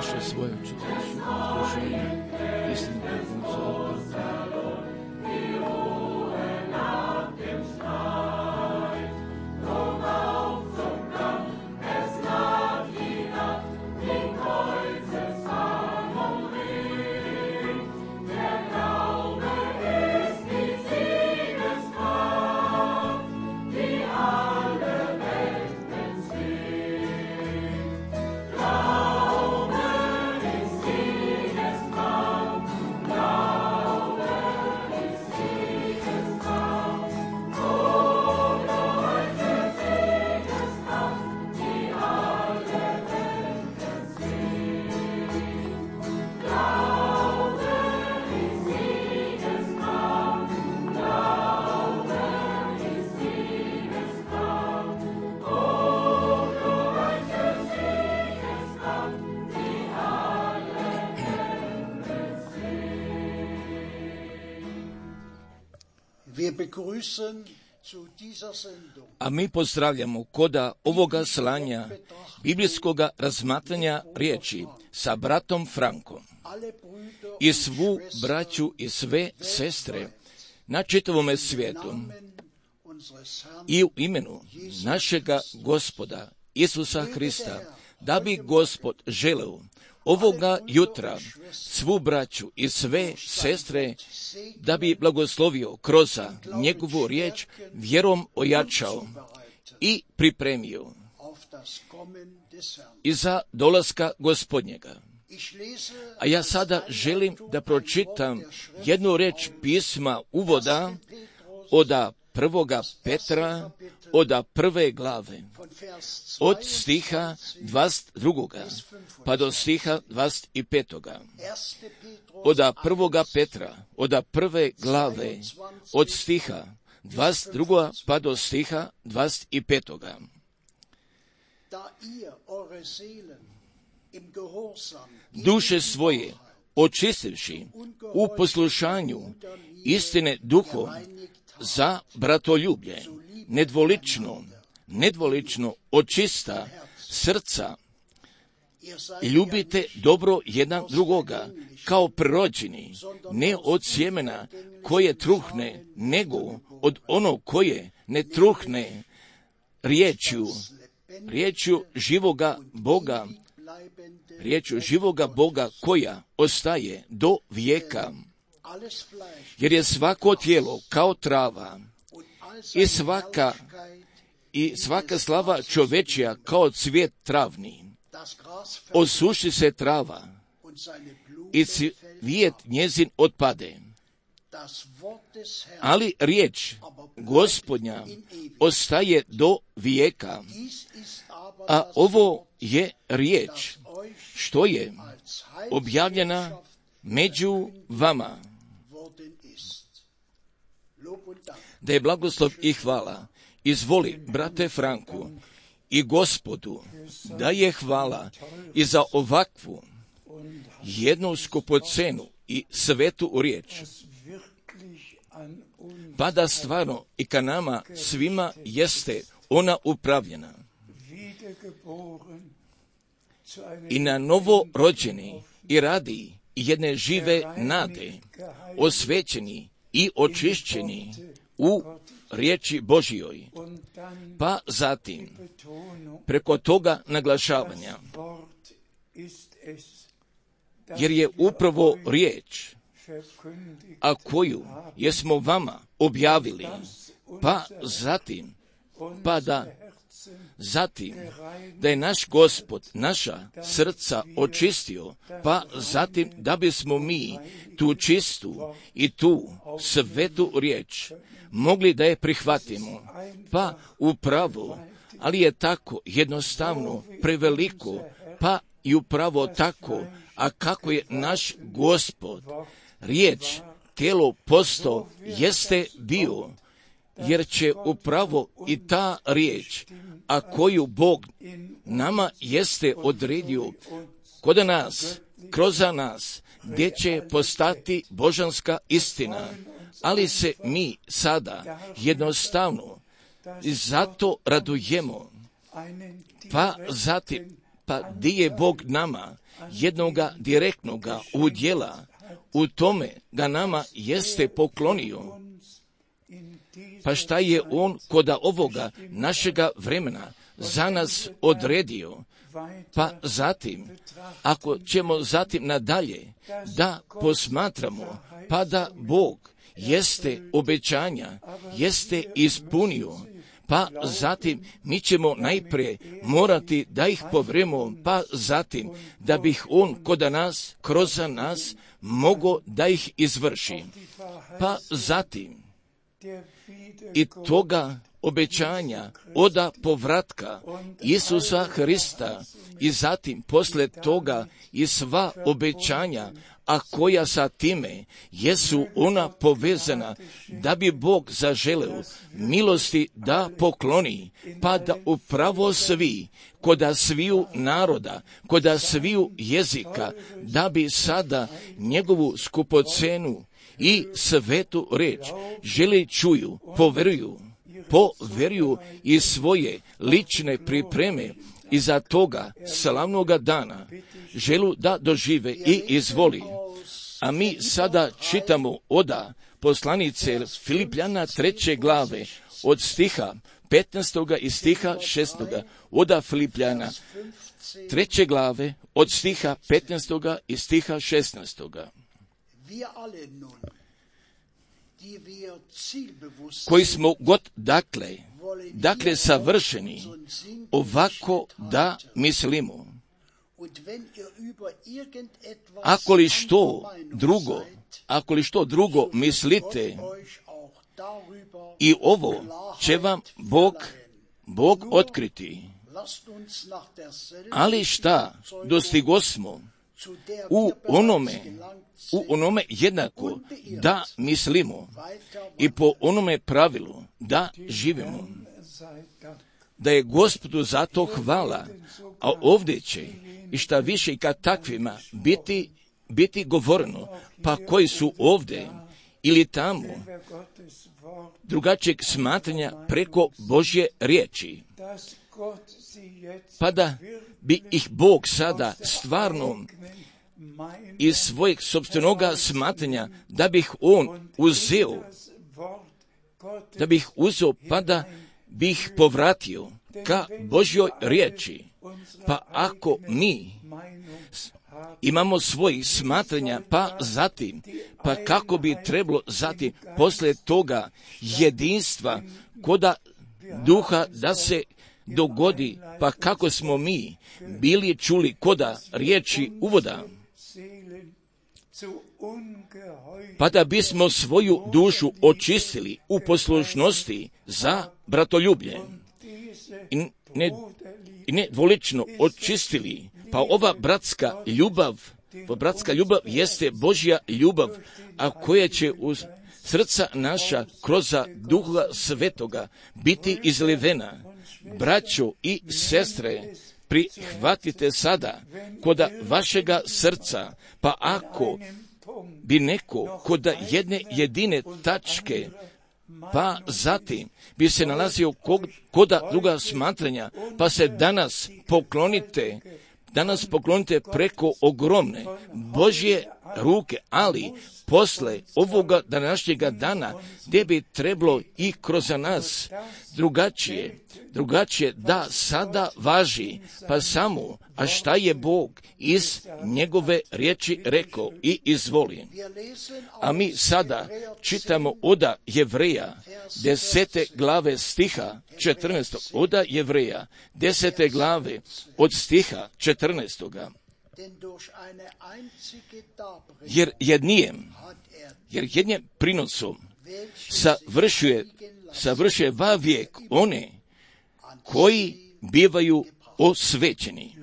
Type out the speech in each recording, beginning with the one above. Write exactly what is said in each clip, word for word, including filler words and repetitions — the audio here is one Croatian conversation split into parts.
duše svoje očistiš od zgrušenja, istinu pognuca. A mi pozdravljamo koda ovoga slanja biblijskoga razmatranja riječi sa bratom Frankom i svu braću i sve sestre na čitavome svijetu i u imenu našega Gospoda Isusa Hrista, da bi Gospod želeo ovoga jutra svu braću i sve sestre da bi blagoslovio kroz njegovu riječ, vjerom ojačao i pripremio i za dolaska Gospodnjega. A ja sada želim da pročitam jednu reč pisma uvoda od prvoga Petra, od prve glave, od stiha dvadeset drugoga pa do stiha dvadeset petoga. Od prvoga Petra, od prve glave, od stiha dvadeset drugoga pa do stiha dvadeset petoga. Duše svoje očistivši u poslušanju istine duhom za bratoljublje, nedvolično, nedvolično očista srca, ljubite dobro jedan drugoga, kao prirođeni, ne od sjemena koje truhne, nego od onog koje ne truhne, riječju, riječju živoga Boga, riječju živoga Boga koja ostaje do vijeka. Jer je svako tijelo kao trava i svaka, i svaka slava čovečija kao cvijet travni. Osuši se trava i cvijet njezin otpade. Ali riječ Gospodnja ostaje do vijeka. A ovo je riječ što je objavljena među vama. Da je blagoslov i hvala izvoli, brate Franku, i Gospodu, da je hvala i za ovakvu jednu skupocenu i svetu riječ, pa da stvarno i ka nama svima jeste ona upravljena i na novo rođeni i radi jedne žive nade, osvećeni i očišćeni u riječi Božjoj, pa zatim preko toga naglašavanja, jer je upravo riječ, a koju jesmo vama objavili, pa zatim, pa da zatim da je naš Gospod naša srca očistio, pa zatim da bismo mi tu čistu i tu svetu riječ mogli da je prihvatimo, pa upravo, ali je tako jednostavno preveliko, pa i upravo tako, a kako je naš Gospod riječ tijelo posto jeste bio, jer će upravo i ta riječ, a koju Bog nama jeste odredio kod nas, kroz nas, gdje će postati božanska istina, ali se mi sada jednostavno zato radujemo, pa zatim pa di je Bog nama jednoga direktnoga udjela, u tome ga nama jeste poklonio. Pa šta je on koda ovoga našega vremena za nas odredio? Pa zatim, ako ćemo zatim nadalje da posmatramo, pa da Bog jeste obećanja, jeste ispunio, pa zatim mi ćemo najprije morati da ih povremo, pa zatim da bih on koda nas, kroz nas, mogo da ih izvrši. Pa zatim i toga obećanja oda povratka Isusa Hrista i zatim posle toga i sva obećanja, a koja sa time jesu ona povezana, da bi Bog zaželeo milosti da pokloni, pa da upravo svi, koda sviju naroda, koda sviju jezika, da bi sada njegovu skupocenu i svetu reč žele čuju, poveruju, poveruju i svoje lične pripreme i za toga slavnoga dana želu da dožive i izvoli. A mi sada čitamo oda poslanice Filipljana treće glave od stiha petnaestoga i stiha šesnaestoga. Oda Filipljana treće glave od stiha petnaestoga i stiha šesnaestoga. Koji smo god dakle, dakle savršeni, ovako da mislimo. Ako li što drugo, ako li što drugo mislite, i ovo će vam Bog, Bog otkriti. Ali šta dostigosmo u onome, u onome jednako da mislimo i po onome pravilu da živimo. Da je Gospodu za to hvala, a ovdje će i šta više i kad takvima biti, biti govoreno, pa koji su ovdje ili tamo drugačijeg smatranja preko Božje riječi, pa da bi ih Bog sada stvarno iz svojeg sopstvenoga smatranja, da bih on uzeo, da bih uzeo, pa da bih povratio ka Božjoj riječi. Pa ako mi imamo svojih smatranja, pa zatim, pa kako bi trebalo zatim posle toga jedinstva koda duha da se dogodi, pa kako smo mi bili čuli koda riječi uvoda, pa da bismo svoju dušu očistili u poslušnosti za bratoljublje i ne, i ne dvolično očistili, pa ova bratska ljubav, ova bratska ljubav jeste Božja ljubav, a koja će uz srca naša kroz Duha Svetoga biti izlivena. Braćo i sestre, prihvatite sada koda vašega srca, pa ako bi neko koda jedne jedine tačke, pa zatim bi se nalazio koda druga smatranja, pa se danas poklonite, danas poklonite preko ogromne Božje ruke, ali posle ovoga današnjega dana, gdje bi trebalo i kroz nas drugačije, drugačije da sada važi, pa samo, a šta je Bog iz njegove riječi rekao i izvoli. A mi sada čitamo oda Jevreja, desete glave stiha četrnaestog, oda Jevreja, desete glave od stiha četrnaestoga. Jer jednijem, jer jednim prinosom savršuje, savršuje vavijek one koji bivaju osvećeni.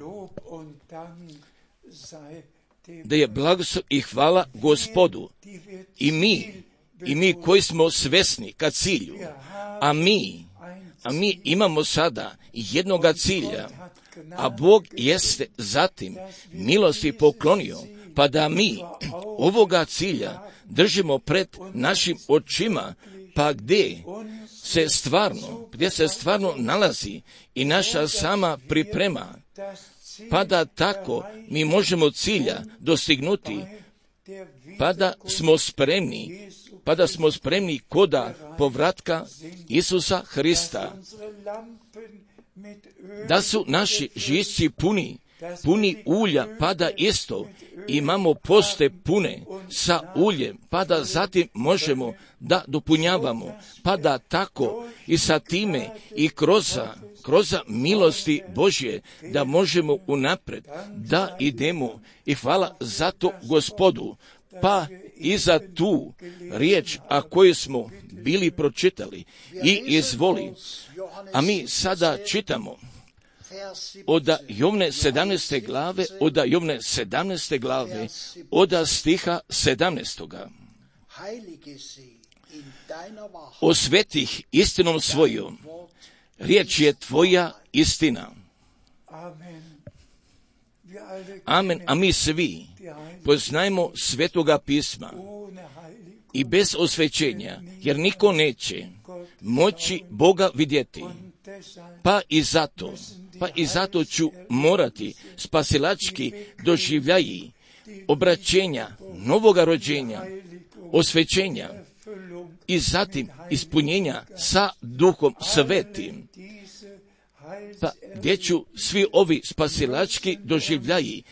Da je blagoslov i hvala Gospodu. I mi, i mi koji smo svesni ka cilju, a mi, a mi imamo sada jednoga cilja, a Bog jeste zatim milosti poklonio, pa da mi ovoga cilja držimo pred našim očima, pa gdje se stvarno, gdje se stvarno nalazi i naša sama priprema, pa da tako mi možemo cilja dostignuti, pa da smo spremni, pa da smo spremni koda povratka Isusa Hrista, da su naši žisci puni, puni ulja, pa da isto imamo poste pune sa uljem, pa da zatim možemo da dopunjavamo, pa da tako i sa time i kroz kroz milosti Božje da možemo unapred da idemo. I hvala za to Gospodu, pa i za tu riječ, a koju smo bili pročitali i izvoli. A mi sada čitamo od Jovne sedamnaeste glave, od Jovne sedamnaeste glave, od stiha sedamnaestoga. Osvetih istinom svojom, riječ je tvoja istina. Amen. A mi svi poznajemo Svetoga pisma i bez osvećenja, jer niko neće moći Boga vidjeti. Pa i zato, pa i zato ću morati spasilački doživljaji obraćenja, novoga rođenja, osvećenja i zatim ispunjenja sa Duhom Svetim. Pa gdje ću svi ovi spasilački doživljaji,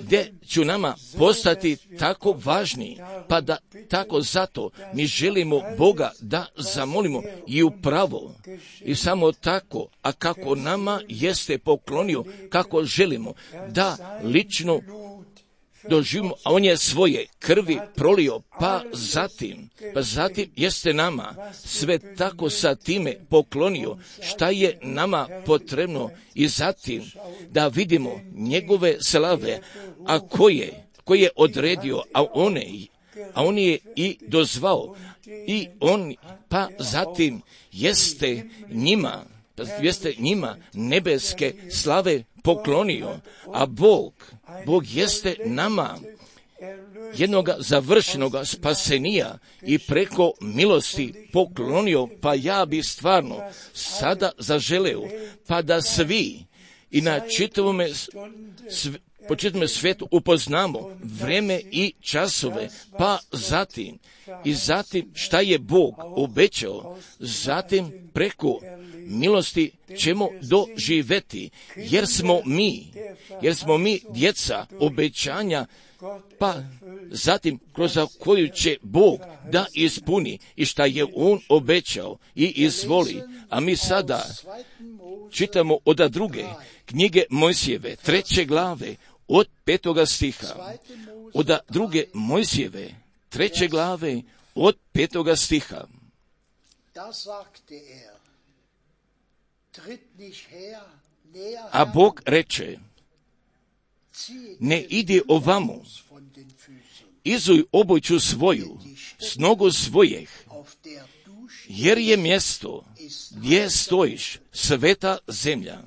gdje ću nama postati tako važni, pa da tako zato mi želimo Boga da zamolimo i upravo i samo tako, a kako nama jeste poklonio, kako želimo da lično doživimo, a on je svoje krvi prolio, pa zatim, pa zatim jeste nama sve tako sa time poklonio, šta je nama potrebno i zatim da vidimo njegove slave, a koje, koje je odredio, a one, a on je i dozvao, i on, pa zatim jeste njima, jeste njima nebeske slave poklonio, a Bog, Bog jeste nama jednoga završenoga spasenija i preko milosti poklonio, pa ja bi stvarno sada zaželeo, pa da svi i na čitavome sv, po čitavom svijetu upoznamo vreme i časove, pa zatim i zatim šta je Bog obećao, zatim preko milosti ćemo doživjeti, jer smo mi, jer smo mi djeca obećanja, pa zatim kroz koju će Bog da ispuni i šta je On obećao i izvoli. A mi sada čitamo od druge knjige Mojsijeve, treće glave, od petoga stiha. Od druge Mojsijeve, treće glave, od petoga stiha. A Bog reče, ne idi ovamo, izuj obuću svoju s nogu svojih, jer je mjesto gdje stojiš sveta zemlja.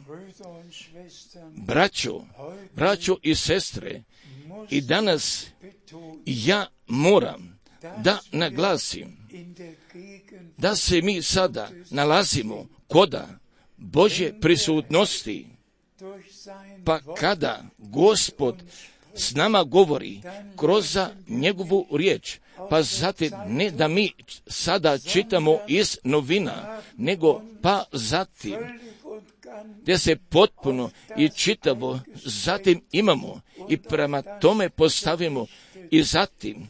Braćo, braćo i sestre, i danas ja moram da naglasim da se mi sada nalazimo koda Božje prisutnosti, pa kada Gospod s nama govori kroz njegovu riječ, pa zatim ne da mi sada čitamo iz novina, nego pa zatim gdje se potpuno i čitavo zatim imamo i prema tome postavimo i zatim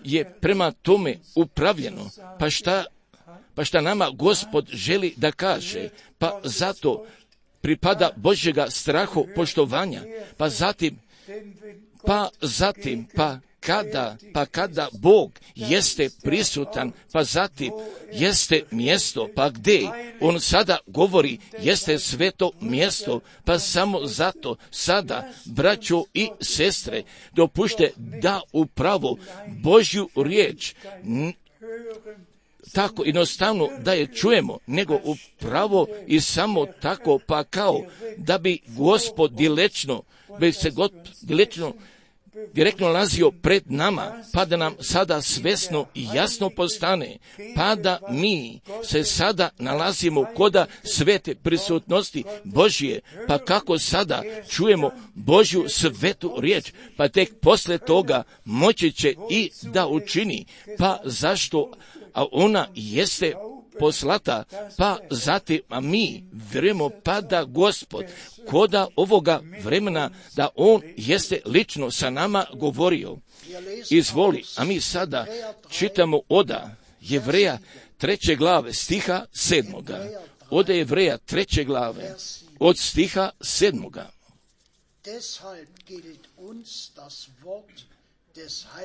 je prema tome upravljeno, pa šta, pa šta nama Gospod želi da kaže, pa zato pripada Božjega strahu poštovanja, pa zatim, pa zatim, pa kada, pa kada Bog jeste prisutan, pa zatim jeste mjesto, pa gdje On sada govori jeste sveto mjesto, pa samo zato sada, braćo i sestre, dopušte da upravo Božju riječ n- tako jednostavno da je čujemo, nego upravo i samo tako, pa kao da bi Gospod dilečno, bi se God dilečno direktno nalazio pred nama, pa da nam sada svesno i jasno postane, pa da mi se sada nalazimo koda svete prisutnosti Božje, pa kako sada čujemo Božju svetu riječ, pa tek posle toga moći će i da učini, pa zašto, a ona jeste poslata, pa zatim, a mi vjerujemo pa da Gospod koda ovoga vremena, da On jeste lično sa nama govorio. Izvoli, a mi sada čitamo oda Jevreja treće glave stiha sedmoga. Oda Jevreja treće glave od stiha sedmoga.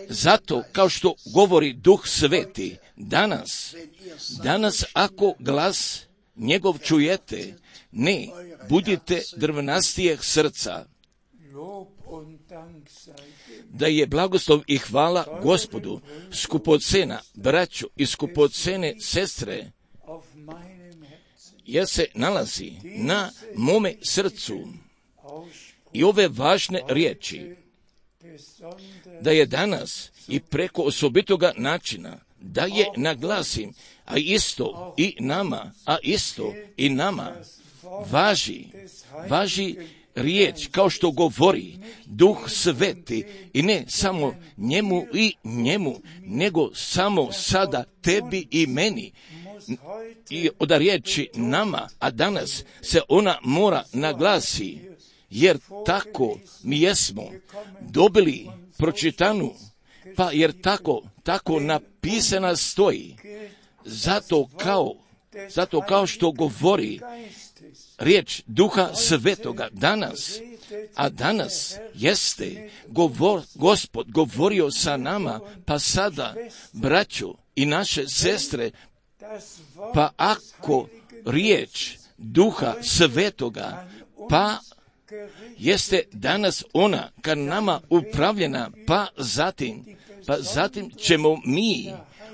Zato, kao što govori Duh Sveti, danas, danas ako glas njegov čujete, ne budite drvnastijeg srca, da je blagoslov i hvala Gospodu, skupocena braćo i skupocene sestre, jer se nalazi na mome srcu i ove važne riječi, da je danas i preko osobitoga načina, da je naglasim, a isto i nama, a isto i nama, važi, važi riječ kao što govori Duh Sveti, i ne samo njemu i njemu, nego samo sada tebi i meni. I od riječi nama, a danas se ona mora naglasi, jer tako mi jesmo dobili pročitanu, pa jer tako, tako napisana stoji. Zato kao, zato kao što govori riječ Duha Svetoga danas, a danas jeste govor, Gospod govorio sa nama, pa sada, braćo i naše sestre, pa ako riječ Duha Svetoga, pa jeste danas ona kad nama upravljena, pa zatim, pa zatim ćemo mi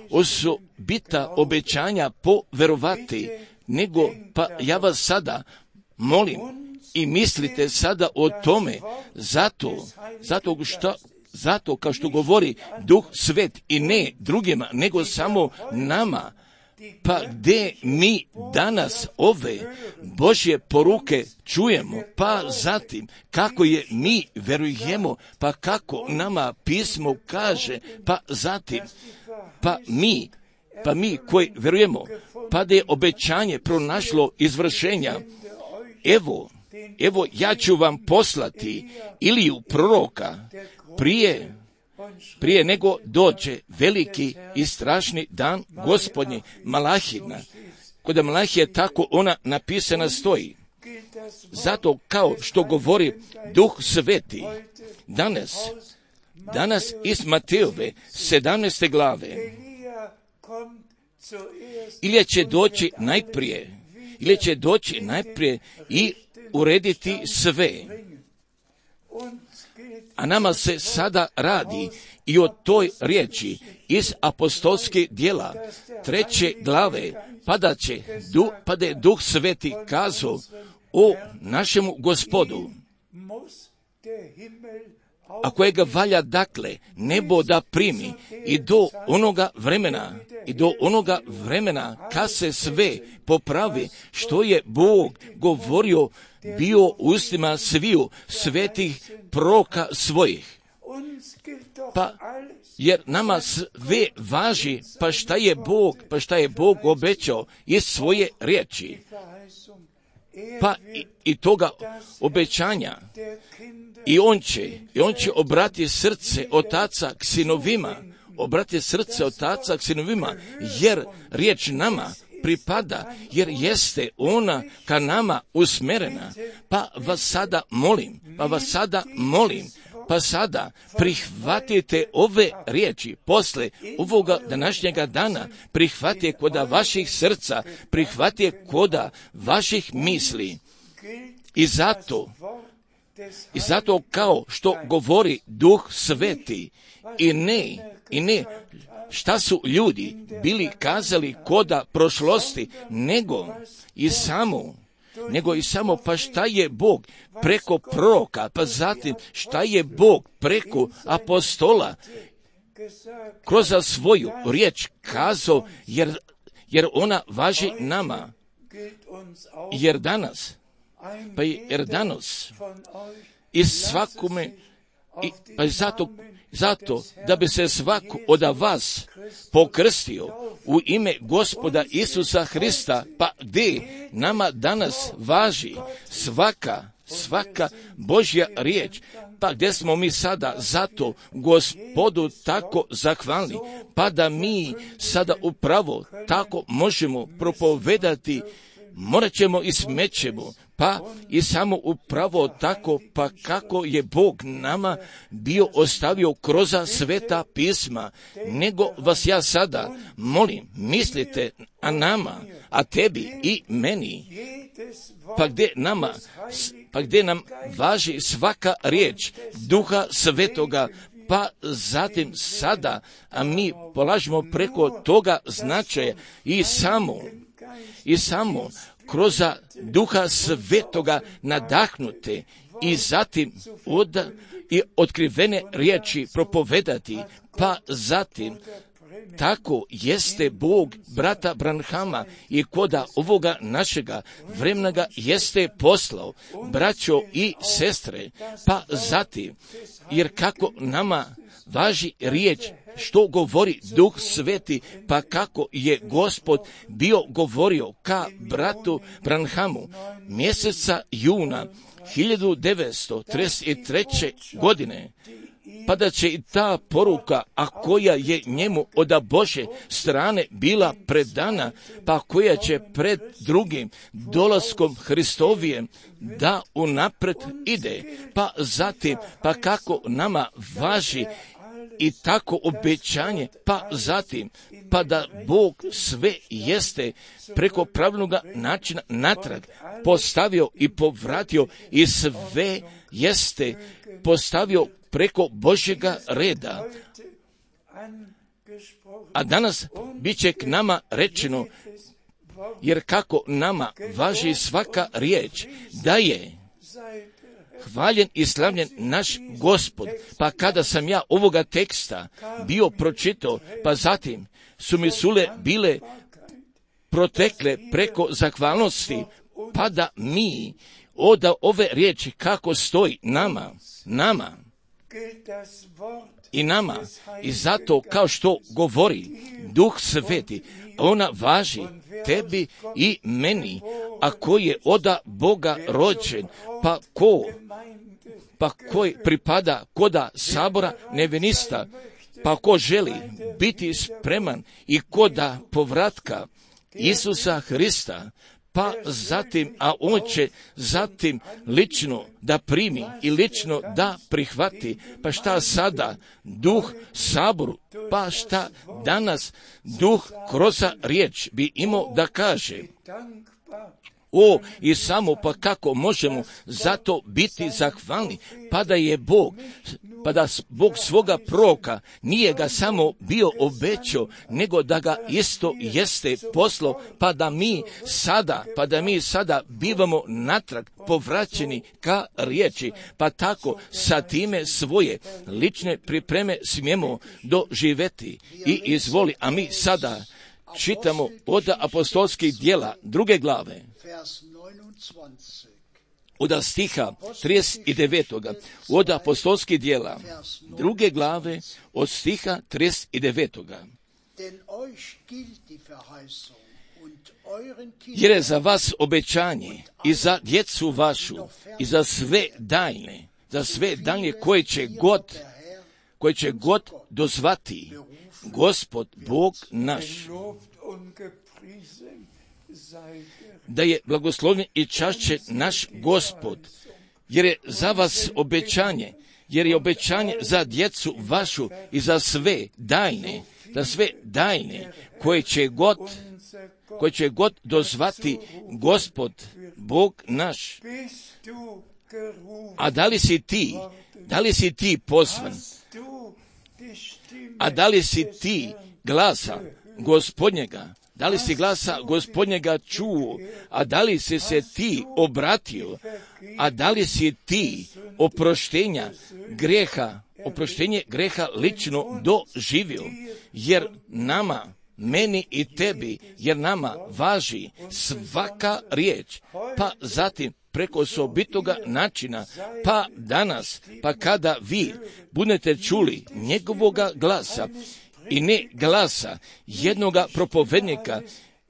osobita obećanja poverovati, nego, pa ja vas sada molim i mislite sada o tome, zato, zato što, zato kao što govori Duh Svet, i ne drugima, nego samo nama, pa gdje mi danas ove Božje poruke čujemo, pa zatim kako je mi verujemo, pa kako nama pismo kaže, pa zatim, pa mi, pa mi koji verujemo, pa da je obećanje pronašlo izvršenja, evo, evo ja ću vam poslati Iliju proroka prije, prije nego dođe veliki i strašni dan Gospodnji, Malahina. Kod Malahije tako ona napisana stoji. Zato kao što govori Duh Sveti, danas, danas iz Matejove sedamnaeste glave, Ilija će doći najprije, Ilija će doći najprije i urediti sve. A nama se sada radi i o toj riječi iz apostolskih djela treće glave, pa da će, pa da je Duh Sveti kazao o našemu Gospodu, a kojega valja dakle nebo da primi i do onoga vremena, i do onoga vremena kad se sve popravi što je Bog govorio bio ustima sviju svetih proroka svojih. Pa jer nama sve važi, pa šta je Bog, pa šta je Bog obećao iz svoje riječi. Pa i, i toga obećanja. I on će, i on će obrati srce otaca k sinovima, obrati srce otaca k sinovima, jer riječ nama pripada, jer jeste ona ka nama usmerena. Pa vas sada molim, pa vas sada molim, pa sada prihvatite ove riječi posle ovoga današnjega dana, prihvatite koda vaših srca, prihvatite koda vaših misli. I zato, i zato kao što govori Duh Sveti, i ne, i ne šta su ljudi bili kazali koda prošlosti, nego i samo, nego i samo pa šta je Bog preko proroka, pa zatim šta je Bog preko apostola kroz svoju riječ kazao, jer, jer ona važi nama. Jer danas, pa jer danas i svakome, i, pa zato, zato da bi se svako od vas pokrstio u ime Gospoda Isusa Hrista, pa gdje nama danas važi svaka, svaka Božja riječ, pa gdje smo mi sada zato Gospodu tako zahvalni, pa da mi sada upravo tako možemo propovedati, morat ćemo i smećemo, pa i samo upravo tako, pa kako je Bog nama bio ostavio kroz sveta pisma, nego vas ja sada molim, mislite a nama, a tebi i meni, pa gdje nama, pa gdje nam važi svaka riječ Duha Svetoga, pa zatim sada, a mi polažemo preko toga značaja i samo, i samo kroz Duha Svetoga nadahnute i zatim od, i otkrivene riječi propovedati, pa zatim tako jeste Bog brata Branhama i koda ovoga našega vremena jeste poslao, braćo i sestre, pa zatim, jer kako nama važi riječ što govori Duh Sveti, pa kako je Gospod bio govorio ka bratu Branhamu mjeseca juna hiljadu devetsto trideset treće. godine, pa da će i ta poruka, a koja je njemu od Bože strane bila predana, pa koja će pred drugim dolaskom Hristovijem da unapred ide, pa zatim, pa kako nama važi i tako obećanje, pa zatim, pa da Bog sve jeste preko pravilnog načina natrag postavio i povratio i sve jeste postavio preko Božjega reda. A danas bit će k nama rečeno, jer kako nama važi svaka riječ, da je hvaljen i slavljen naš Gospod. Pa kada sam ja ovoga teksta bio pročitao, pa zatim su mi sule bile protekle preko zahvalnosti, pa da mi od ove riječi kako stoji nama, nama i nama, i zato kao što govori Duh Sveti, ona važi tebi i meni, a ko je od Boga rođen, pa ko, pa koji pripada koda sabora nevenista, pa ko želi biti spreman i koda povratka Isusa Hrista, pa zatim, a on će zatim lično da primi i lično da prihvati, pa šta sada Duh saboru, pa šta danas Duh kroz riječ bi imao da kaže. O, i samo pa kako možemo zato biti zahvalni, pa da je Bog, pa da Bog svoga proroka nije ga samo bio obećao, nego da ga isto jeste poslao, pa da mi sada, pa da mi sada bivamo natrag povraćeni ka riječi, pa tako sa time svoje lične pripreme smijemo doživjeti i izvoli, a mi sada čitamo od apostolskih djela druge glave, od stiha trideset devet. Od apostolskih djela druge glave od stiha trideset devet. Jer je za vas obećanje i za djecu vašu i za sve daljne, za sve daljne koje će god, koje će god dozvati Gospod Bog naš. Da je blagoslovljen i čašće naš Gospod, jer je za vas obećanje, jer je obećanje za djecu vašu i za sve daljne, za sve daljne koje će god, koje će god dozvati Gospod Bog naš. A da li si ti, da li si ti pozvan? A da li si ti glasa Gospodnjega Da li si glasa Gospodnjega čuo, a da li si se ti obratio, a da li si ti oproštenja greha, oproštenje greha lično doživio, jer nama, meni i tebi, jer nama važi svaka riječ, pa zatim preko osobitoga načina, pa danas, pa kada vi budete čuli njegovoga glasa i ne glasa jednoga propovednika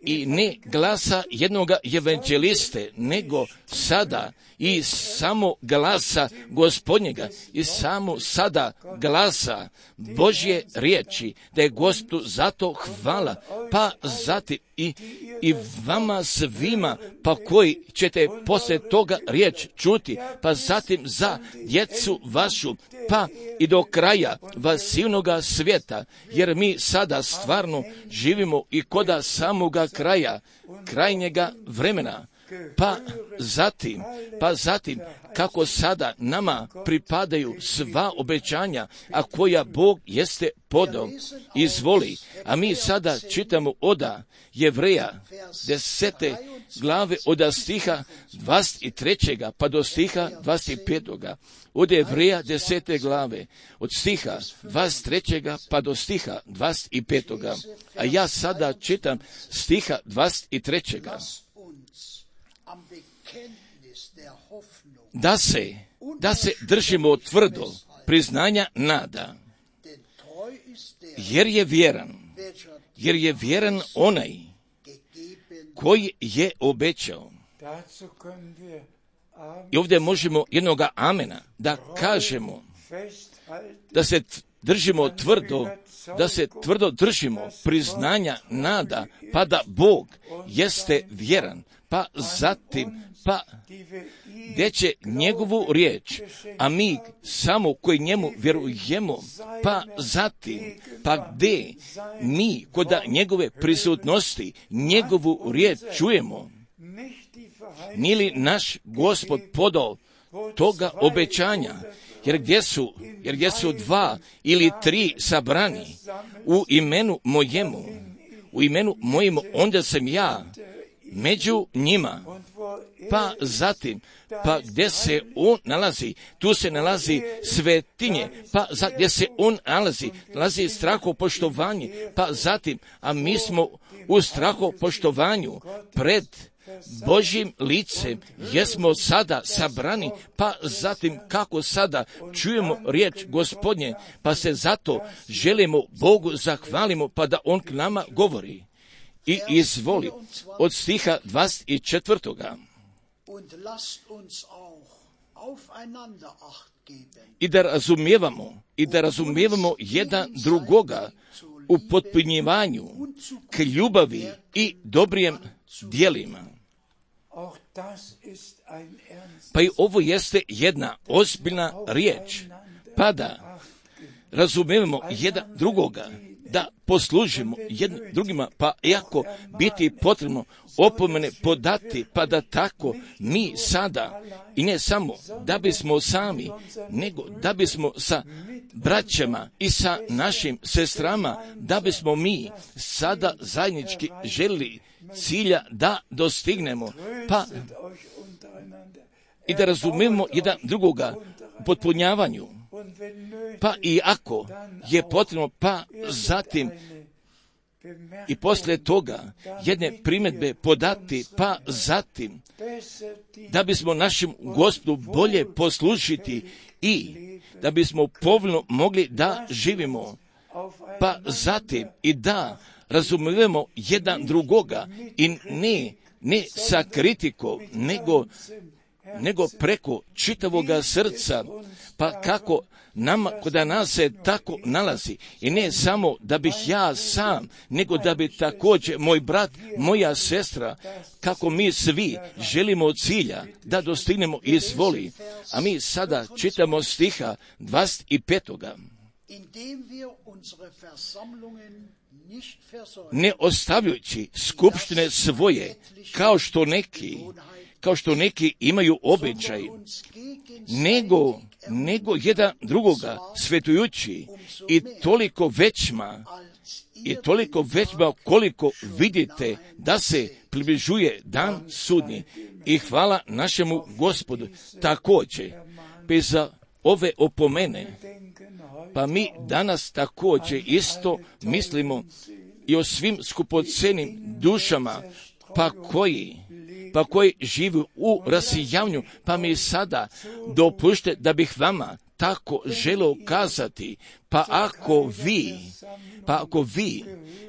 i ne glasa jednoga evanđeliste, nego sada i samo glasa Gospodnjega i samo sada glasa Božje riječi, da je Gospodu zato hvala, pa zatim i, i vama svima, pa koji ćete poslije toga riječ čuti, pa zatim za djecu vašu, pa i do kraja vasivnoga svijeta, jer mi sada stvarno živimo i koda samoga kraja, krajnjega vremena. Pa zatim, pa zatim, kako sada nama pripadaju sva obećanja, a koja Bog jeste podao, izvoli. A mi sada čitamo oda Jevreja, desete glave, oda stiha dvadeset trećeg pa do stiha dvadeset petog Od Jevreja desete glave, od stiha dvadeset trećeg pa do stiha dvadeset petog A ja sada čitam stiha dvadeset trećeg Da se, da se držimo tvrdo priznanja nada, jer je vjeran, jer je vjeran onaj koji je obećao. I ovdje možemo jednoga amena da kažemo, da se držimo tvrdo, da se tvrdo držimo priznanja nada, pa da Bog jeste vjeran, pa zatim, pa gdje će njegovu riječ, a mi samo koji njemu vjerujemo, pa zatim, pa gdje mi kod njegove prisutnosti njegovu riječ čujemo, nije li naš Gospod podao toga obećanja, jer gdje su, jer gdje su dva ili tri sabrani u imenu mojemu, u imenu mojemu, onda sam ja među njima. Pa zatim, pa gdje se on nalazi, tu se nalazi svetinje, pa za, gdje se on nalazi, nalazi strahopoštovanje, pa zatim, a mi smo u strahopoštovanju pred Božjim licem, jesmo sada sabrani, pa zatim kako sada čujemo riječ Gospodnje, pa se zato želimo Bogu zahvalimo, pa da on k nama govori. I izvoli od stiha dvadeset četvrtog I da razumijevamo, i da razumijevamo jedan drugoga u potpunjivanju k ljubavi i dobrijem djelima. Pa i ovo jeste jedna ozbiljna riječ, pa da razumijemo jedan drugoga, da poslužimo jednim drugima, pa iako biti potrebno opomene podati, pa da tako mi sada, i ne samo da bismo sami, nego da bismo sa braćama i sa našim sestrama, da bismo mi sada zajednički želili cilja da dostignemo, pa i da razumijemo jedan drugoga u potpunjavanju. Pa i ako je potrebno, pa zatim i poslije toga jedne primjedbe podati, pa zatim da bismo našem Gospodu bolje poslužiti i da bismo povoljno mogli da živimo, pa zatim i da razumijemo jedan drugoga i ne, ne sa kritikom, nego nego preko čitavoga srca, pa kako nama, kod nas se tako nalazi, i ne samo da bih ja sam, nego da bi također moj brat, moja sestra, kako mi svi želimo od cilja da dostignemo izvoli. A mi sada čitamo stiha dvadeset petog Ne ostavljajući skupštine svoje, kao što neki kao što neki imaju običaj, nego, nego jedan drugoga svetujući i toliko većma i toliko većma koliko vidite da se približuje dan sudnji. I hvala našemu Gospodu također, bez ove opomene, pa mi danas također isto mislimo i o svim skupocenim dušama, pa koji, pa koji žive u rasijanju, pa mi sada dopušte da bih vama tako želio kazati, pa ako vi, pa ako vi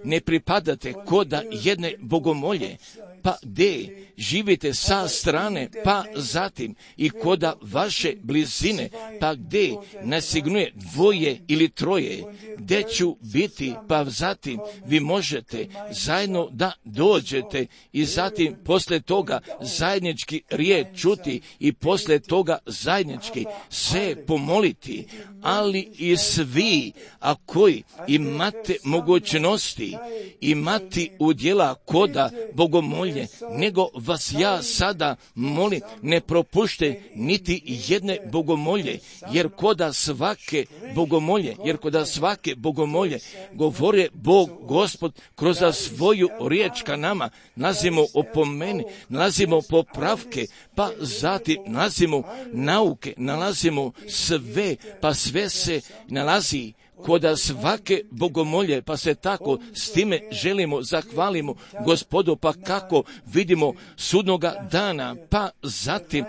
ne pripadate koda jedne bogomolje, pa gdje živite sa strane, pa zatim i koda vaše blizine, pa gdje nasignuje dvoje ili troje, gdje ću biti, pa zatim vi možete zajedno da dođete i zatim poslije toga zajednički riječ čuti i poslije toga zajednički se pomoliti, ali i svi, a koji imate mogućnosti, imati udjela koda bogomolje, nego vas ja sada molim, ne propušte niti jedne bogomolje, jer koda svake bogomolje, jer koda svake bogomolje govore Bog Gospod kroz svoju riječ ka nama, nalazimo opomeni, nalazimo popravke, pa zatim nalazimo nauke, nalazimo sve, pa sve se nalazi koda svake bogomolje, pa se tako s time želimo, zahvalimo Gospodu, pa kako vidimo sudnoga dana, pa zatim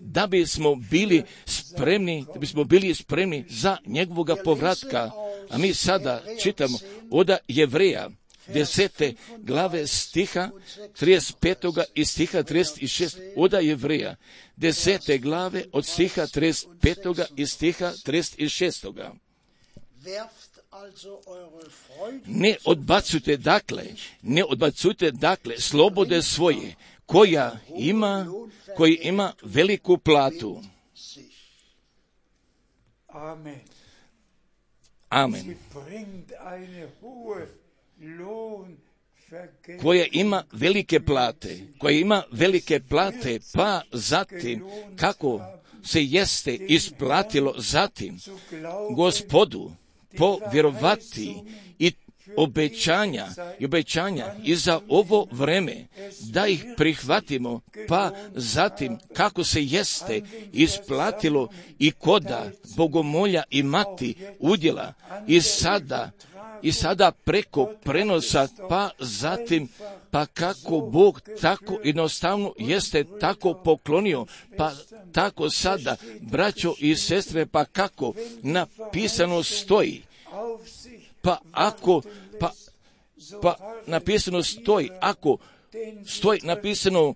da bismo bili spremni, da bismo bili spremni za njegovoga povratka. A mi sada čitamo od Jevreja desete glave stiha trideset petog i stiha trideset šestog, od Jevreja desete glave od stiha trideset petog i stiha trideset šestog. Ne odbacujte dakle, ne odbacujte dakle slobode svoje, koja ima, koji ima veliku platu. Amen. Amen. Koja ima velike plate, koja ima velike plate, pa zatim kako se jeste isplatilo zatim Gospodu povjerovati i obećanja i obećanja i za ovo vreme da ih prihvatimo, pa zatim kako se jeste isplatilo i koda bogomolja imati udjela i sada i sada preko prenosa, pa zatim pa kako Bog tako jednostavno jeste tako poklonio, pa tako sada, braćo i sestre, pa kako napisano stoji, pa ako, pa, pa napisano stoji, ako stoji napisano,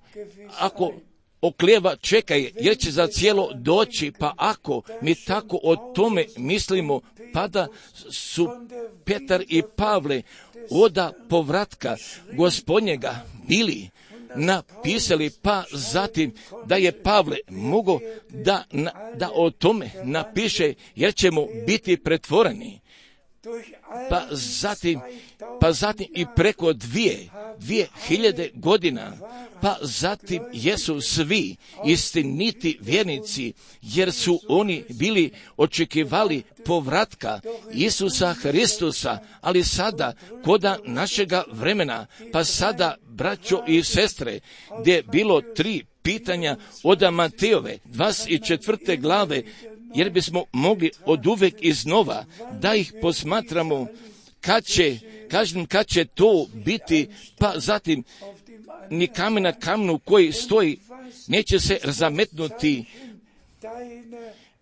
ako oklijeva čekaj, jer će za cijelo doći, pa ako mi tako o tome mislimo, pa da su Petar i Pavle oda povratka Gospodnjega bili napisali, pa zatim da je Pavle mogao da, da o tome napiše, jer ćemo biti pretvoreni. Pa zatim, pa zatim i preko dvije, dvije hiljade godina, pa zatim jesu svi istiniti vjernici, jer su oni bili očekivali povratka Isusa Hristusa, ali sada koda našega vremena, pa sada, braćo i sestre, gdje je bilo tri pitanja od Matejove dvadeset četvrte glave, jer bismo mogli od uvek iznova da ih posmatramo kad će, kažem, kad će to biti, pa zatim ni kamen na kamenu koji stoji neće se zametnuti.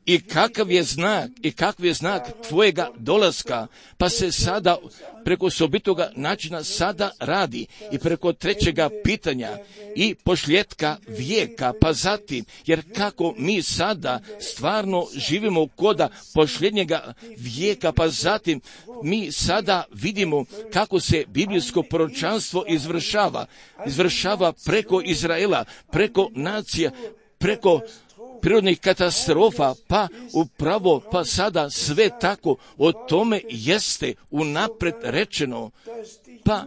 I kakav je znak, i kakav je znak tvojega dolaska, pa se sada preko sobitoga načina sada radi i preko trećega pitanja i pošljetka vijeka, pa zatim, jer kako mi sada stvarno živimo koda posljednjega vijeka, pa zatim mi sada vidimo kako se biblijsko proročanstvo izvršava, izvršava preko Izraela, preko nacija, preko prirodnih katastrofa, pa upravo pa sada sve tako o tome jeste unapred rečeno, pa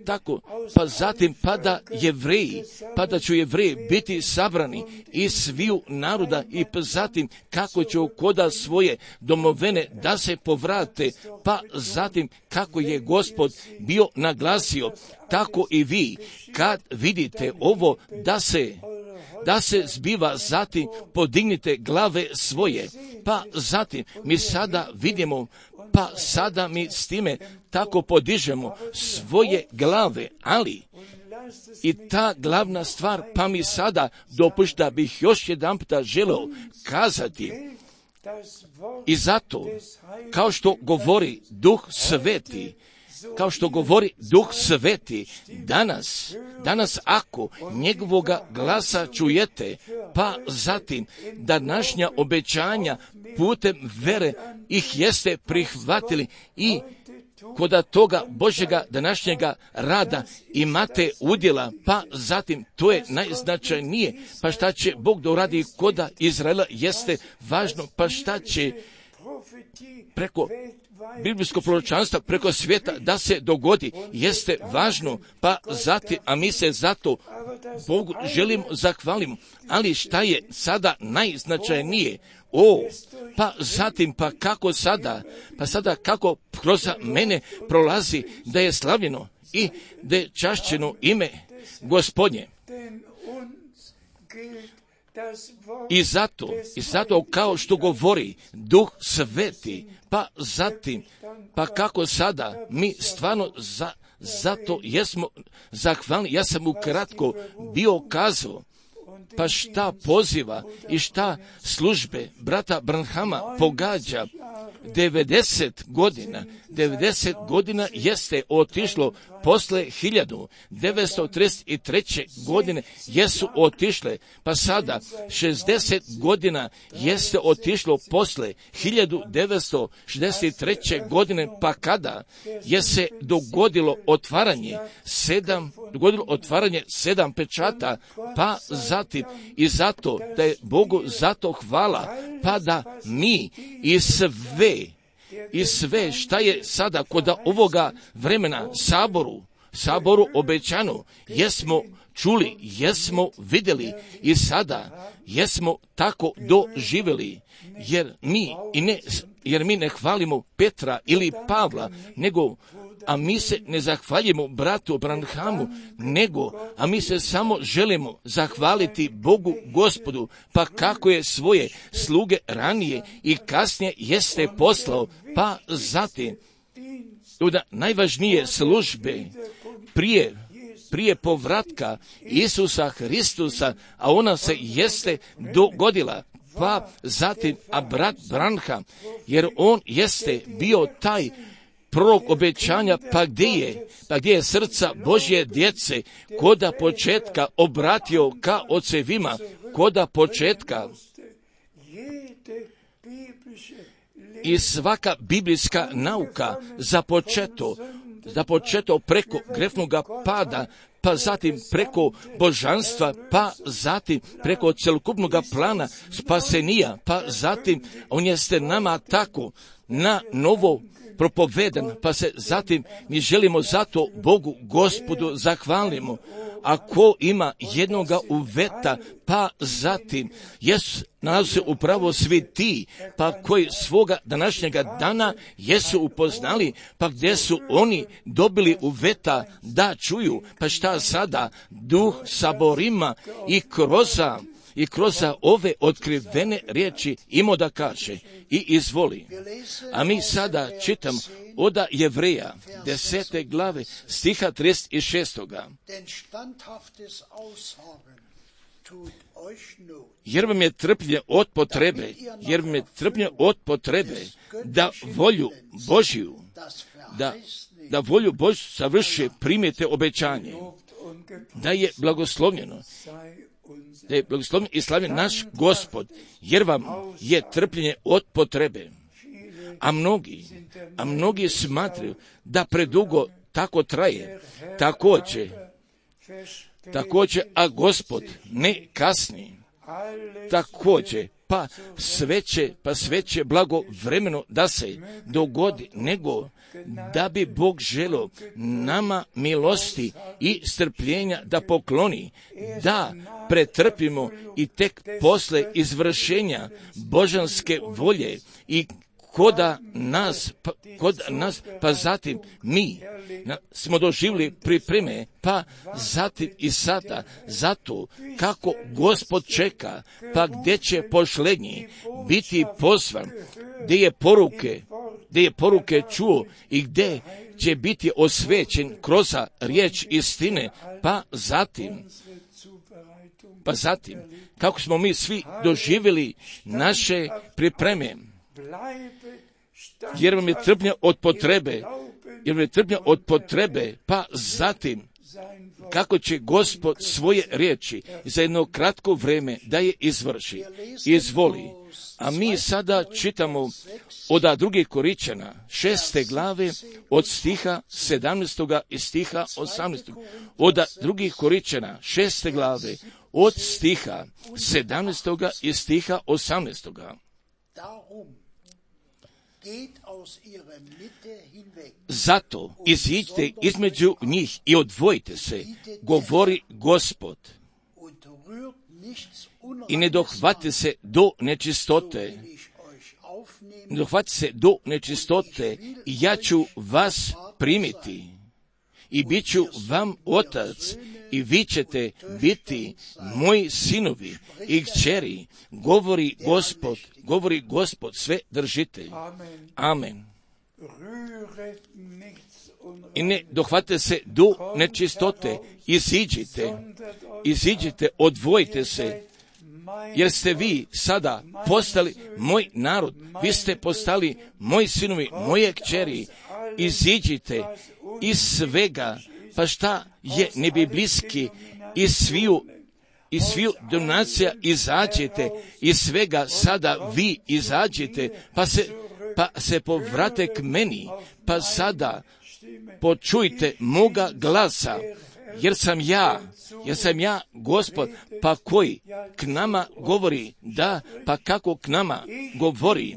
tako, pa zatim pa da Jevreji, pa da će Jevreji biti sabrani iz sviju naroda i pa zatim kako će koda svoje domovine da se povrate, pa zatim kako je Gospod bio naglasio, tako i vi kad vidite ovo da se da se zbiva, zatim podignite glave svoje, pa zatim mi sada vidimo, pa sada mi s time tako podižemo svoje glave, ali i ta glavna stvar, pa mi sada dopušta bih još jedan puta želeo kazati, i zato, kao što govori Duh Sveti, kao što govori Duh Sveti, danas, danas ako njegovoga glasa čujete, pa zatim današnja obećanja putem vere ih jeste prihvatili i kod toga Božjega današnjega rada imate udjela, pa zatim to je najznačajnije, pa šta će Bog da uradi koda Izraela jeste važno, pa šta će preko biblijskog proročanstva, preko svijeta da se dogodi, jeste važno, pa zatim, a mi se zato Bogu želimo zahvalimo, ali šta je sada najznačajnije? O, pa zatim, pa kako sada, pa sada kako kroz mene prolazi da je slavljeno i da je čašćeno ime Gospodnje. I zato, i zato kao što govori Duh Sveti, pa zatim, pa kako sada mi stvarno za, zato jesmo zahvalni. Ja sam ukratko bio kazao, pa šta poziva i šta službe brata Branhama pogađa. devedeset godina, devedeset godina jeste otišlo posle hiljadu devetsto trideset treće godine jesu otišle, pa sada šezdeset godina jeste otišlo posle hiljadu devetsto šezdeset treće godine, pa kada je se dogodilo otvaranje sedam, dogodilo otvaranje sedam pečata, pa zatim i zato da je Bogu zato hvala, pa da mi i sve i sve šta je sada kod ovoga vremena saboru, saboru obećano, jesmo čuli, jesmo vidjeli i sada jesmo tako doživjeli, jer mi i ne, jer mi ne hvalimo Petra ili Pavla, nego a mi se ne zahvaljujemo bratu Branhamu, nego, a mi se samo želimo zahvaliti Bogu Gospodu, pa kako je svoje sluge ranije i kasnije jeste poslao, pa zatim, da najvažnije službe prije, prije povratka Isusa Hristusa, a ona se jeste dogodila, pa zatim, a brat Branham, jer on jeste bio taj prorok obećanja, pa gdje je, pa gdje je srca Božje djece, koda početka obratio ka ocevima, koda početka i svaka biblijska nauka započeto, započeto preko grefnoga pada, pa zatim preko božanstva, pa zatim preko celokupnog plana spasenija, pa zatim on jeste nama tako na novo propovedan, pa se zatim mi želimo zato Bogu Gospodu zahvalimo. Ako ima jednoga uveta, pa zatim jesu nalaze se upravo svi ti, pa koji svoga današnjega dana jesu upoznali, pa gdje su oni dobili uveta da čuju, pa šta sada Duh saborima i kroz i kroz ove otkrivene riječi ima da kaže i izvoli. A mi sada čitam od Jevreja desete glave stiha trideset šest. Jer vam je trpljenje od potrebe, jer vam je trpljenje od potrebe da volju Božju, da, da volju Božju savrši, primijete obećanje, da je blagoslovljeno, da je blagoslovljen i slavljen naš Gospod, jer vam je trpljenje od potrebe. A mnogi, a mnogi smatraju da predugo tako traje, također, također, a Gospod ne kasni. također, pa sve će, pa sve će blagovremeno da se dogodi, nego da bi Bog želio nama milosti i strpljenja da pokloni, da pretrpimo i tek posle izvršenja božanske volje i koda nas, pa, kod nas, pa zatim mi na, smo doživjeli pripreme, pa zatim i sada, zato kako Gospod čeka, pa gdje će pošlednji biti pozvan, gdje je poruke, gdje je poruke čuo i gdje će biti osvećen kroz riječ istine, pa zatim, pa zatim, kako smo mi svi doživjeli naše pripreme, jer vam je trpnja od potrebe, jer vam je trpnja od potrebe, pa zatim, kako će Gospod svoje riječi za jedno kratko vrijeme da je izvrši, izvoli. A mi sada čitamo od drugih Koričana, šeste glave, od stiha sedamnaestoga i stiha osamnaestoga. Od drugih Koričana, šeste glave, od stiha sedamnaestoga i stiha osamnaestoga. Zato iziđite između njih i odvojite se, govori Gospod, i ne dohvate se do nečistote, ne dohvate se do nečistote, i ja ću vas primiti, i bit ću vam otac, i vi ćete biti moji sinovi i kćeri, govori Gospod, govori Gospod sve držitelj. Amen. I ne dohvate se do nečistote, iziđite, iziđite, odvojite se, jer ste vi sada postali moj narod, vi ste postali moji sinovi, moje kćeri, iziđite iz svega, pa šta je nebiblijski, iz sviju, iz sviju donacija izađete, iz svega sada vi izađete, pa se, pa se povrate k meni, pa sada počujte moga glasa, jer sam ja, jer sam ja Gospod, pa koji k nama govori, da, pa kako k nama govori.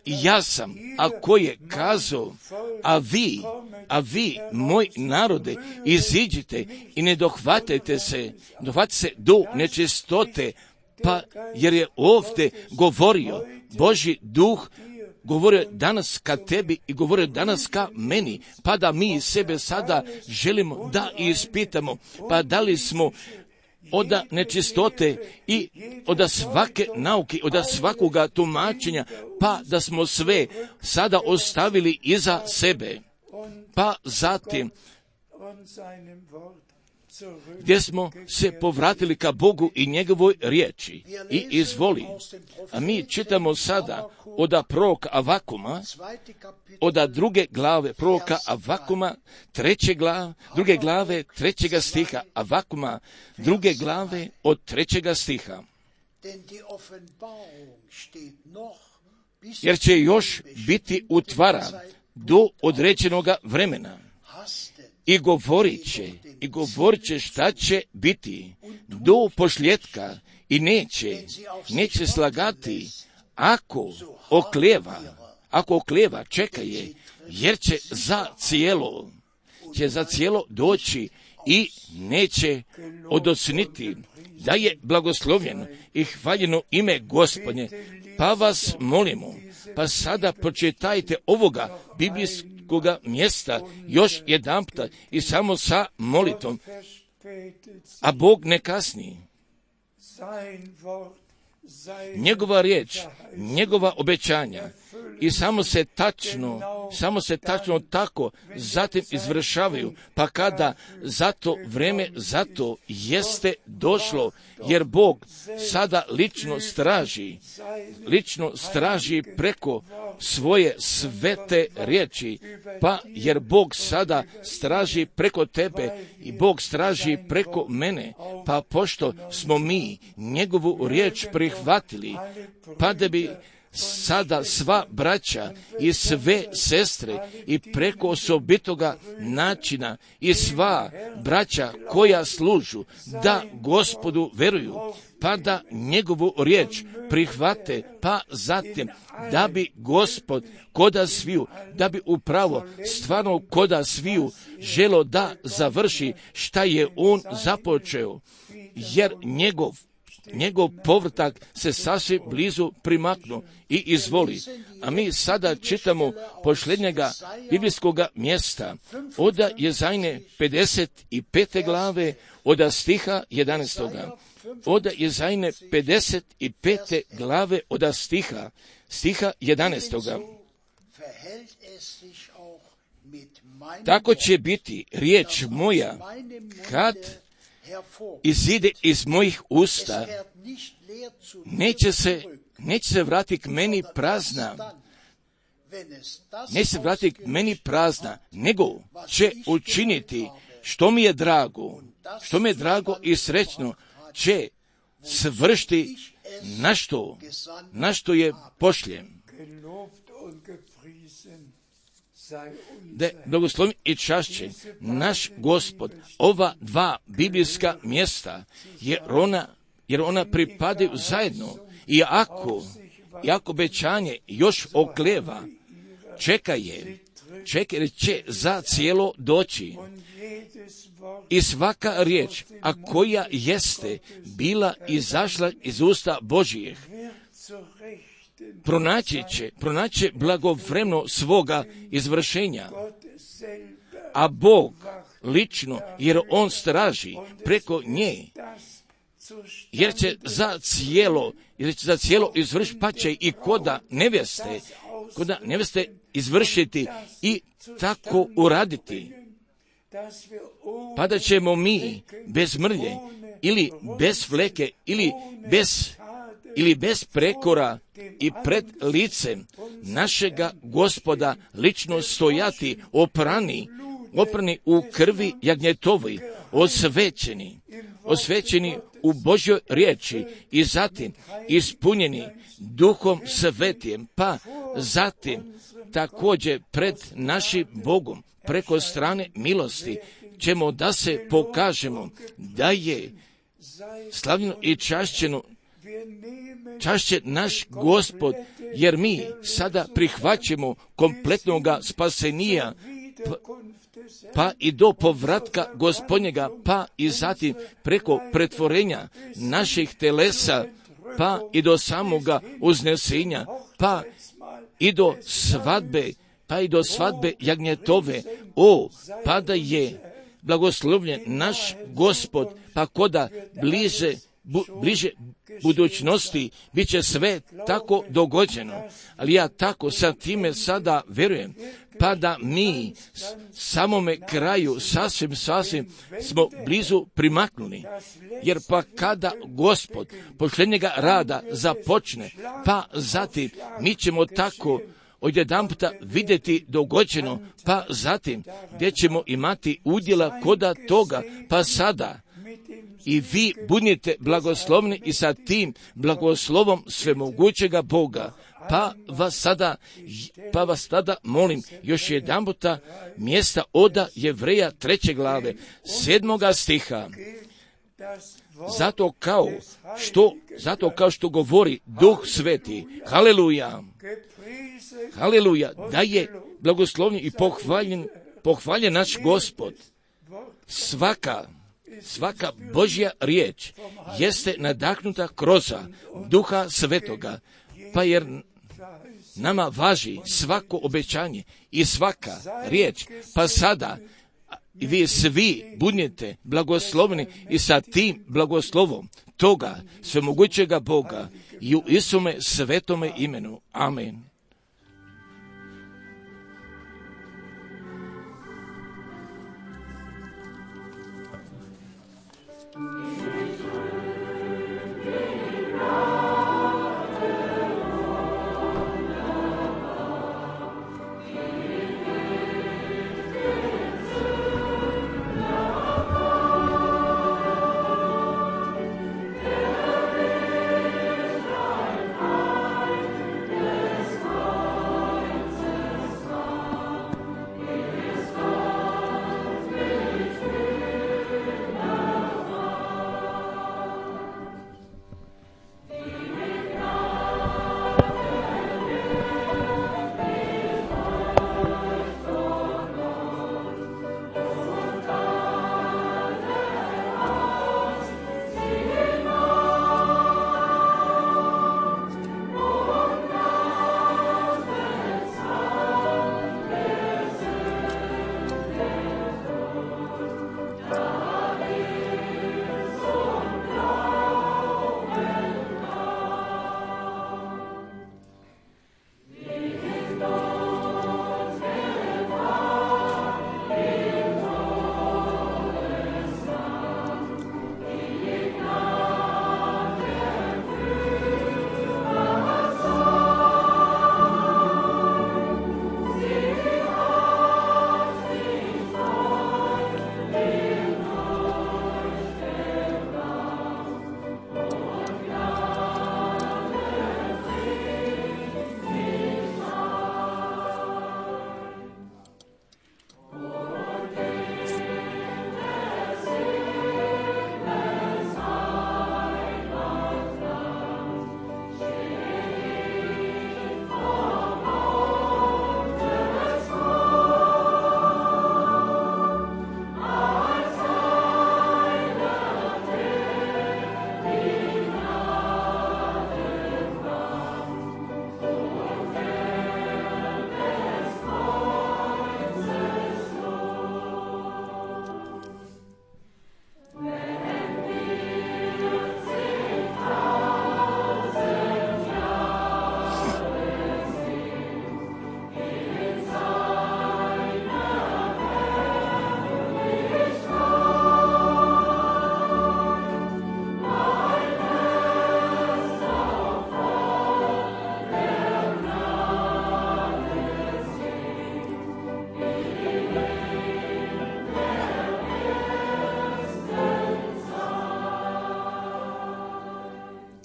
Ja sam, a ko je kazao, a vi, a vi, moj narode, iziđite i ne dohvatajte se, dohvatite se do nečistote, pa jer je ovdje govorio Božji duh, govorio danas ka tebi i govorio danas ka meni, pa da mi sebe sada želimo da ispitamo, pa da li smo od nečistote i od svake nauke, od svakoga tumačenja, pa da smo sve sada ostavili iza sebe, pa zatim gdje smo se povratili ka Bogu i njegovoj riječi i izvoli. A mi čitamo sada od proroka Avakuma, od druge glave proroka Avakuma, treće glave, druge glave, trećega stiha, Avakuma, druge glave od trećega stiha. Jer će još biti utvara do određenoga vremena. I govorit će, i govorit će šta će biti do pošljetka i neće, neće slagati ako oklijeva, ako oklijeva, čeka je, jer će za cijelo, će za cijelo doći i neće odocniti da je blagoslovljeno i hvaljeno ime Gospodnje. Pa vas molimo, pa sada pročitajte ovoga biblijskog koga mjesta još jedanputa i samo sa molitvom, a Bog ne kasni. Njegova riječ, njegova obećanja i samo se tačno, samo se tačno tako zatim izvršavaju, pa kada zato vrijeme zato jeste došlo, jer Bog sada lično straži, lično straži preko svoje svete riječi, pa jer Bog sada straži preko tebe i Bog straži preko mene, pa pošto smo mi njegovu riječ prihvatili, pa da bi sada sva braća i sve sestre i preko osobitoga načina i sva braća koja služu da Gospodu veruju, pa da njegovu riječ prihvate, pa zatim da bi Gospod koda sviju, da bi upravo stvarno koda sviju želo da završi šta je on započeo, jer njegov njegov povratak se sasvim blizu primaknu i izvoli. A mi sada čitamo posljednjega biblijskoga mjesta od Jezajne pedeset pete glave od stiha jedanaestoga. Od Jezajne pedeset pete glave od stiha, stiha jedanaestoga. Tako će biti riječ moja kad izide iz mojih usta, neće se, neće se vratiti k meni prazna, neće se vratiti k meni prazna, nego će učiniti što mi je drago, što mi je drago i srećno, će svršiti na što, na što je pošljem. Da je blagoslovljen i čašćen naš Gospod ova dva biblijska mjesta, jer ona, jer ona pripadaju zajedno. I ako, i ako obećanje još okleva, čeka je, čeka jer će za cijelo doći. I svaka riječ, a koja jeste bila izašla iz usta Božijih, pronaći će, pronaći će blagovremeno svoga izvršenja. A Bog lično, jer on straži preko nje, jer će za cijelo, jer će za cijelo izvršiti, pa će i koda nevjeste, koda nevjeste izvršiti i tako uraditi. Pa da ćemo mi bez mrlje ili bez fleke ili bez ili bez prekora i pred licem našega Gospoda lično stojati oprani, oprani u krvi jagnjetovi, osvećeni, osvećeni u Božjoj riječi i zatim ispunjeni Duhom Svetim, pa zatim također pred našim Bogom preko strane milosti ćemo da se pokažemo da je slavljeno i čašćeno čašće naš Gospod, jer mi sada prihvaćamo kompletnoga spasenija, pa, pa i do povratka Gospodnjega, pa i zatim preko pretvorenja naših telesa, pa i do samoga uznesenja, pa i do svadbe, pa i do svadbe jagnjetove. O, pa da je blagoslovljen naš Gospod, pa koda bliže Bu, bliže budućnosti bit će sve tako dogođeno, ali ja tako sa time sada verujem, pa da mi samome kraju sasvim, sasvim smo blizu primaknuli, jer pa kada Gospod posljednjega rada započne, pa zatim mi ćemo tako odjedanputa vidjeti dogođeno, pa zatim gdje ćemo imati udjela koda toga, pa sada i vi budite blagoslovni i sa tim blagoslovom svemogućega Boga. Pa vas sada, pa vas tada molim još jedanputa mjesta oda Jevreja treće glave, sedmoga stiha. Zato kao što, zato kao što govori Duh Sveti, haleluja, haleluja, da je blagoslovljen i pohvaljen, pohvaljen naš Gospod. Svaka Svaka Božja riječ jeste nadahnuta kroz Duha Svetoga, pa jer nama važi svako obećanje i svaka riječ, pa sada vi svi budete blagoslovni i sa tim blagoslovom toga svemogućega Boga i u Isume svetome imenu. Amen.